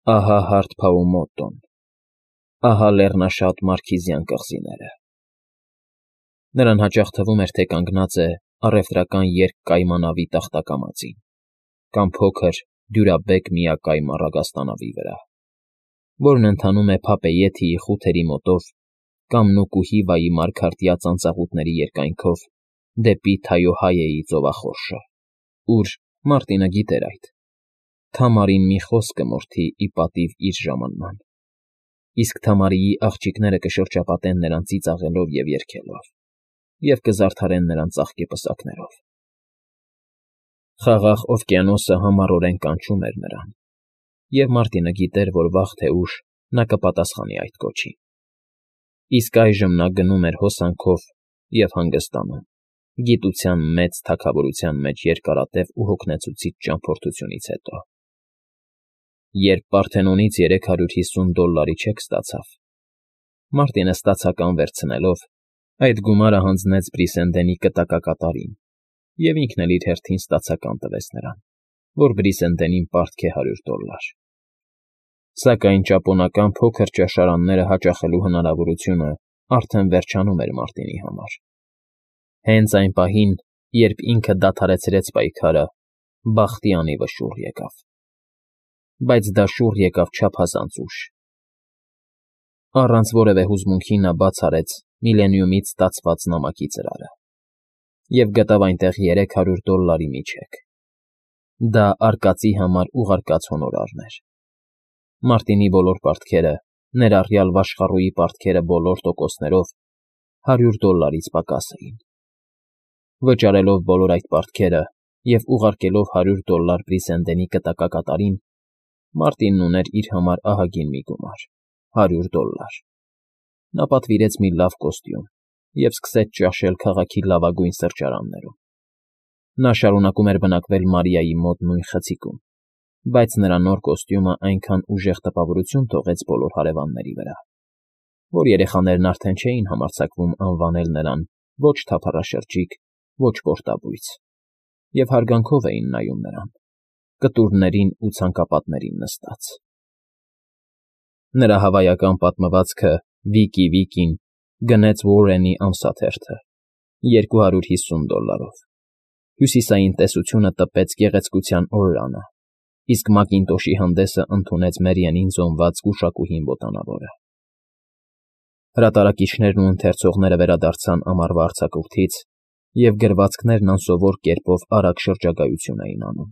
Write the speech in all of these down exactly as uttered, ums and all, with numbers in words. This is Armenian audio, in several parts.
Ահա հարթ Փաումոտտոն, ահա լեռնաշատ Մարքիզյան կղզիները… Նրան հաճախ թվում էր, թե կանգնած է առևտրական երկկայմանավի տախտակամածին կամ փոքր, դյուրաբեկ միակայմ առագաստանավի վրա, որն ընթանում է Փապեյեթիի խութերի մոտով կամ Նուկուհիվայի մարգարտյա ծանծաղուտների երկայնքով դեպի Թայոհայեի ծովախորշը, ուր, Մարտինը գիտեր այդ, Թամարին մի խոսք կմորթի ի պատիվ իր ժամանման, իսկ Թամարիի աղջիկները կշրջապատեն նրան ծիծաղելով և երգելով և կզարդարեն նրան ծաղկե պսակներով… Խաղաղ օվկիանոսը համառորեն կանչում էր նրան, և Մարտինը գիտեր, որ վաղ թե ուշ նա կպատասխանի այդ կոչին… Իսկ այժմ նա գնում էր հոսանքով և հանգստանում, գիտության մեծ թագավորության մեջ երկարատև ու հոգնեցուցիչ ճամփորդությունից հետո… Երբ Պարթենոնից երեք հարյուր հիսուն դոլլարի չեք ստացավ, Մարտինը ստացական վերցնելով, այդ գումարը հանձնեց Բրիսենդենի կտակակատարին և ինքն էլ իր հերթին ստացական տվեց նրան, որ Բրիսենդենին պարտք է հարյուր դոլլար… Սակայն ճապոնական փոքր ճաշարանները հաճախելու հնարավորությունը արդեն վերջանում էր Մարտինի համար… Հենց այն պահին, երբ ինքը դադարեցրեց պայքարը, բախտի անիվը շուռ եկավ… Բայց դա շուռ եկավ չափազանց ուշ… Առանց որևէ հուզմունքի նա բաց արեց Միլենիումից ստացված նամակի ծրարը և գտավ այնտեղ երեք հարյուր դոլլարի մի չեք… Դա արկածի համար ուղարկած հոնորարն էր… Մարտինի բոլոր պարտքերը, ներառյալ վաշխառուի պարտքերը բոլոր տոկոսներով, հարյուր դոլլարից պակաս էին… Վճարելով բոլոր այդ պարտքերը և ուղարկելով հարյուր դոլլար Բրիսենդենի կտակակատարին, Մարտինն ուներ իր համար ահագին մի գումար՝ հարյուր դոլլար… Նա պատվիրեց մի լավ կոստյում և սկսեց ճաշել քաղաքի լավագույն սրճարաններում… Նա շարունակում էր բնակվել Մարիայի մոտ նույն խցիկում, բայց նրա նոր կոստյումը այնքան ուժեղ տպավորություն թողեց բոլոր հարևանների վրա, որ երեխաներն արդեն չէին համարձակվում անվանել նրան ոչ թափառաշրջիկ, ոչ պորտաբույծ և հարգանքով էին նայում նրան, կտուրներին ու ցանկապատներին նստած… Նրա հավայական պատմվածքը Վիկի Վիկին գնեց Ուորրենի ամսաթերթը երկու հարյուր հիսուն դոլլարով, Հյուսիսային տեսությունը տպեց Գեղեցկության օրրանը, իսկ Մակինտոշի հանդեսը ընդունեց Մերիենին զոնված գուշակուհին բոտանավորը… Հրատարակիչներն ու ընթերցողները վերադարձան ամառվա արձակուրդից և գրվածքներն անսովոր կերպով արագ շրջագայություն էին անում…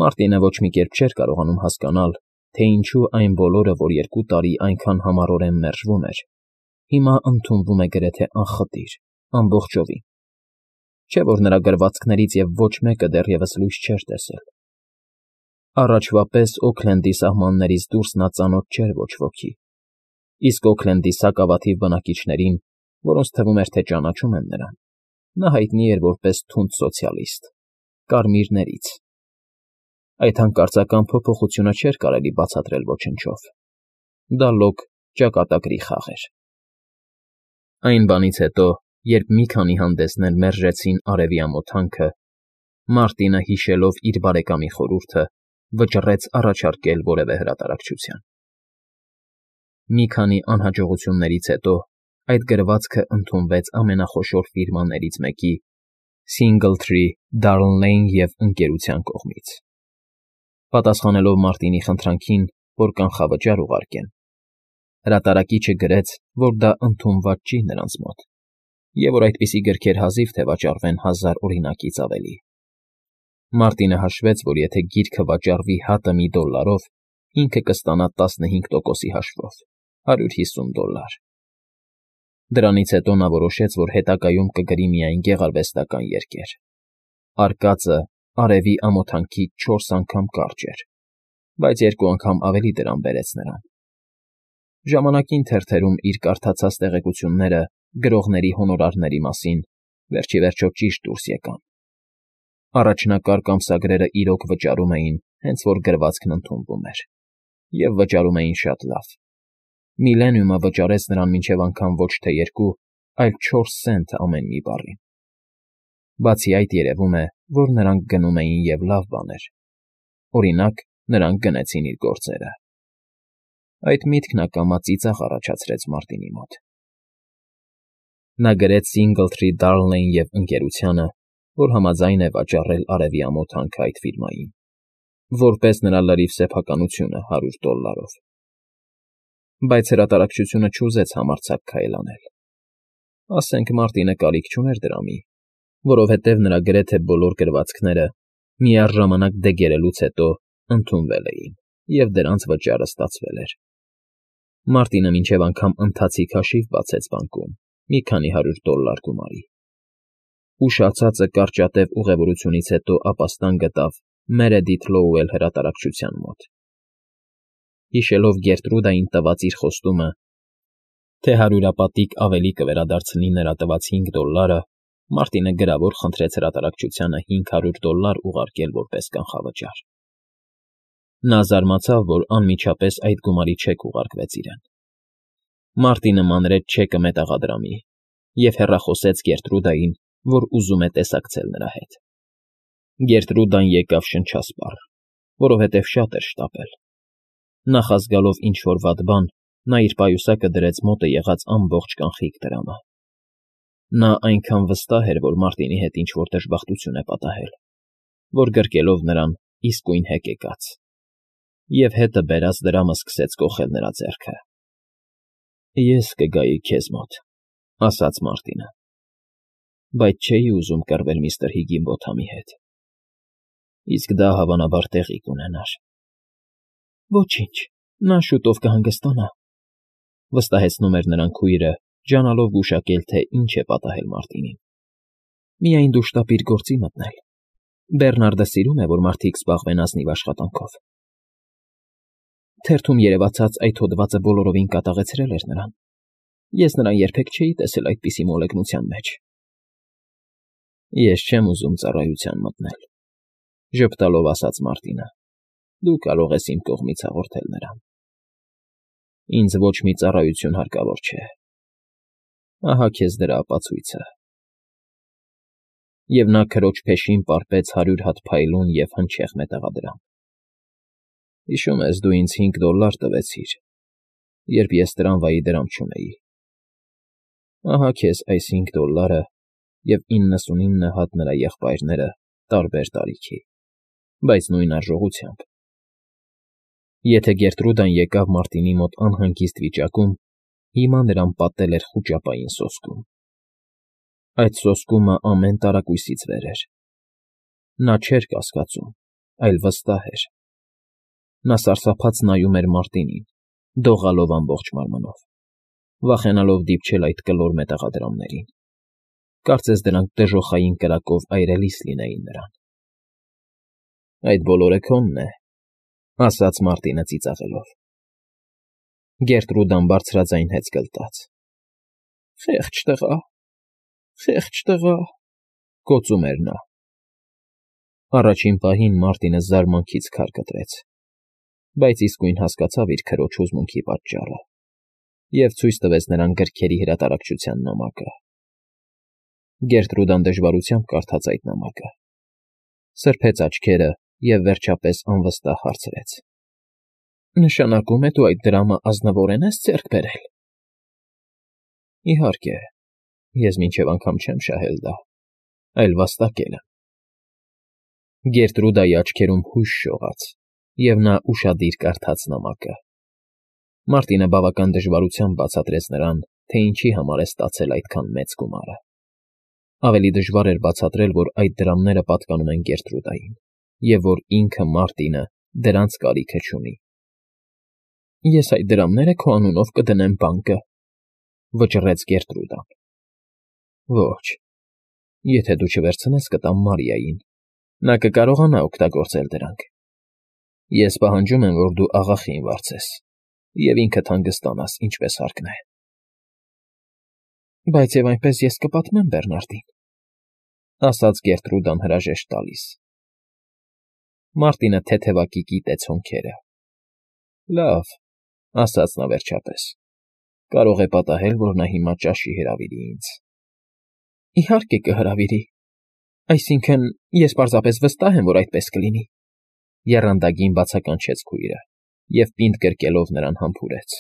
Մարտինը ոչ մի կերպ չէր կարողանում հասկանալ, թե ինչու այն բոլորը, որ երկու տարի այնքան համառորեն մերժվում էր, հիմա ընդունվում է գրեթե անխտիր, ամբողջովին… Չէ՞ որ նրա գրվածքներից և ոչ մեկը դեռևս լույս չէր տեսել… Առաջվա պես Օքլենդի սահմաններից դուրս նա ծանոթ չէր ոչ ոքի, իսկ Օքլենդի սակավաթիվ բնակիչներին, որոնց թվում էր, թե ճանաչում են նրան, նա հայտնի էր որպես թունդ սոցիալիստ, կարմիրներից… Այդ հանկարծական փոփոխությունը չէր կարելի բացատրել ոչնչով… Դա լոկ ճակատագրի խաղ էր… Այն բանից հետո, երբ մի քանի հանդեսներ մերժեցին արևի ամոթանքը, Մարտինը, հիշելով իր բարեկամի խորհուրդը, վճռեց առաջարկել որևէ հրատարակչության… Մի քանի անհաջողություններից հետո այդ գրվածքը ընդունվեց ամենախոշոր ֆիրմաներից մեկի՝ Սինգլթրի, Դարլնեյն և Ընկերության կողմից… Պատասխանելով Մարտինի խնդրանքին, որ կանխավճար ուղարկեն, հրատարակիչը գրեց, որ դա ընդունված չի նրանց մոտ և որ այդպիսի գրքեր հազիվ թե վաճառվեն հազար օրինակից ավելի… Մարտինը հաշվեց, որ եթե գիրքը վաճառվի հատը մի դոլլարով, ինքը կստանա տասնհինգ տոկոսի հաշվով՝ հարյուր հիսուն դոլլար… Դրանից հետո նա որոշեց, որ հետագայում կգրի միայն գեղարվեստական երգեր… Արկածը արևի ամոթանքից չորս անգամ կարճ էր, բայց երկու անգամ ավելի դրամ բերեց նրան… Ժամանակին թերթերում իր կարդացած տեղեկությունները գրողների հոնորարների մասին վերջիվերջո ճիշտ դուրս եկան… Առաջնակարգ ամսագրերը իրոք վճարում էին, հենց որ գրվածքն ընդունվում էր, և վճարում էին շատ լավ… Միլենիումը վճարեց նրան մինչև անգամ ոչ թե երկու, այլ չորս սենթ ամեն մի բառին… Բացի այդ, երևում է, որ նրանք գնում էին և լավ բաներ… Օրինակ, նրանք գնեցին իր գործերը։ Այդ միտքն ակամա ծիծաղ առաջացրեց Մարտինի մոտ։ Նա գրեց Սինգլթրի, Դարլնեյն և ընկերությանը, որ համաձայն է վաճառել արևի ամոթ հանքը այդ ֆիրմային, որպես նրա լրիվ սեփականությունը հարյուր դոլլարով։ Բայց հրատարակչությունը չուզեց համարձակ քայլ անել։ Ասենք Մարտինը կարիք չուներ դրամի, որովհետև նրա գրեթե բոլոր գրվածքները միառժամանակ դեգերելուց հետո ընդունվել էին, և դրանց վճարը ստացվել էր։ Մարտինը մինչև անգամ ընթացիկ հաշիվ բացեց բանկում մի քանի հարյուր դոլլար գումարի։ Ուշացածը կարճատև ուղևորությունից հետո ապաստան գտավ Meredith Lowell հրատարակչության մոտ։ Հիշելով Գերտրուդային տված իր խոստումը, թե հարյուրապատիկ ավելի կվերադարձնի նրա տված հինգ դոլլարը, Մարտինը գրավոր խնդրեց հրատարակչությանը հինգ հարյուր դոլլար ուղարկել որպես կանխավճար։ Նա զարմացավ, որ անմիջապես այդ գումարի չեք ուղարկվեց իրեն։ Մարտինը մանրեց չեկը մետաղադրամի և հեռախոսեց Գերտրուդային, որ ուզում է տեսակցել նրա հետ։ Գերտրուդան եկավ շնչասպառ, որովհետև շատ էր շտապել։ Նախազգալով ինչ֊որ վատ բան, նա իր պայուսակը դրեց մոտը եղած ամբողջ կանխիկ դրամը։ Նա այնքան վստահ էր, որ Մարտինի հետ ինչ֊որ դժբախտություն է պատահել, որ գրկելով նրան իսկույն հեկեկաց, և հետը բերած դրամը սկսեց կոխել նրա ձեռքը։ «Ես կգայի քեզ մոտ», ֊ ասաց Մարտինը, «բայց չէի ուզում կռվել միստր Հիգինբոթամի հետ, իսկ դա հավանաբար տեղի կունենար»։ «Ոչինչ, նա շուտով կհանգստանա», ֊ վստահեցնում էր նրան քույրը, ջանալով գուշակել, թե ինչ է պատահել Մարտինին։ «Միայն դու շտապ իր գործի մտնել։ Բեռնարդը սիրում է, որ մարդիկ զբաղվեն ազնիվ աշխատանքով»։ Թերթում երևացած այդ հոդվածը բոլորովին կատաղեցրել էր նրան։ Ես նրան երբեք չէի տեսել այդպիսի մոլեգնության մեջ։ «Ես չեմ ուզում ծառայության մտնել», ֊ ժպտալով ասաց Մարտինը։ «Դու կարող ես իմ կողմից հաղորդել նրան։ Ինձ ոչ մի ծառայություն հարկավոր չէ։ Ահա քեզ դրա ապացույցը»։ Եվ նա քրոջ փեշին պարպեց հարյուր հատ փայլուն և հնչեղ մետաղադրամ։ «Հիշում ես, դու ինձ հինգ դոլլար տվեցիր, երբ ես տրամվայի դրամ չունեի։ Ահա քեզ այս հինգ դոլլարը և իննսունինը հատ նրա եղբայրները տարբեր տարիքի, բայց նույն արժողությամբ»։ Եթե Գերտրուդան եկավ Մարտինի մոտ անհանգիստ վիճակում, հիմա նրան պատել էր խուճապային սոսկում։ Այդ սոսկումը ամեն տարակույսից վեր էր։ Նա չէր կասկածում, այլ վստահ էր։ Նա սարսափած նայում էր Մարտինին, դողալով ամբողջ մարմնով, վախենալով դիպչել այդ կլոր մետաղադրամներին։ Կարծես դրանք դժոխային կրակով այրելիս լինեին նրան։ «Այդ բոլորը քոնն է», ֊ ասաց Մարտինը ծիծաղելով։ Գերտրուդան բարձրաձայն հեծ գլտաց։ «Խեղճ տղա, խեղճ տղա», ֊ գոծում էր նա։ Առաջին պահին Մարտինը զարմանքից քար կտրեց, բայց իսկույն հասկացավ իր քրոջ հուզմունքի պատճառը և ցույց տվեց նրան գրքերի հրատարակչության նամակը։ Գերտրուդան դժվարությամբ կարդաց այդ նամակը, սրբեց աչքերը և վերջապես անվստահ հարցրեց. «Նշանակում է, դու այդ դրամը ազնվորեն ես ձեռք բերել»։ «Իհարկե, ես մինչև անգամ չեմ շահել դա, այլ վաստակել եմ»։ Գերտրուդայի աչքերում հույս շողաց, և նա ուշադիր կարդաց նամակը։ Մարտինը բավական դժվարությամբ բացատրեց նրան, թե ինչի համար է ստացել այդքան մեծ գումարը։ Ավելի դժվար էր բացատրել, որ այդ դրամները պատկանում են Գերտրուդային, և որ ինքը Մարտինը դրանց կարիքը չունի։ «Ես այդ դրամները քո անունով կդնեմ բանկը», ֊ վճռեց Գերտրուդան։ «Ոչ, եթե դու չվերցնես, կտամ Մարիային, նա կկարողանա օգտագործել դրանք։ Ես պահանջում եմ, որ դու աղախին վարձես և ինքդ հանգստանաս, ինչպես հարկն է»։ «Բայց և այնպես ես կպատմեմ Բեռնարդին», ֊ ասաց Գերտրուդան հրաժեշտ տալիս։ Մարտինը թեթևակի կիտեց հոնքերը։ «Լավ», ֊ ասաց նա վերջապես, «կարող է պատահել, որ նա հիմա ճաշի հրավիրի ինձ»։ «Իհարկե կհրավիրի, այսինքն՝ ես պարզապես վստահ եմ, որ այդպես կլինի։ Եռանդագին բացականչեց քույրը և, պինդ գրկելով, նրան համբուրեց։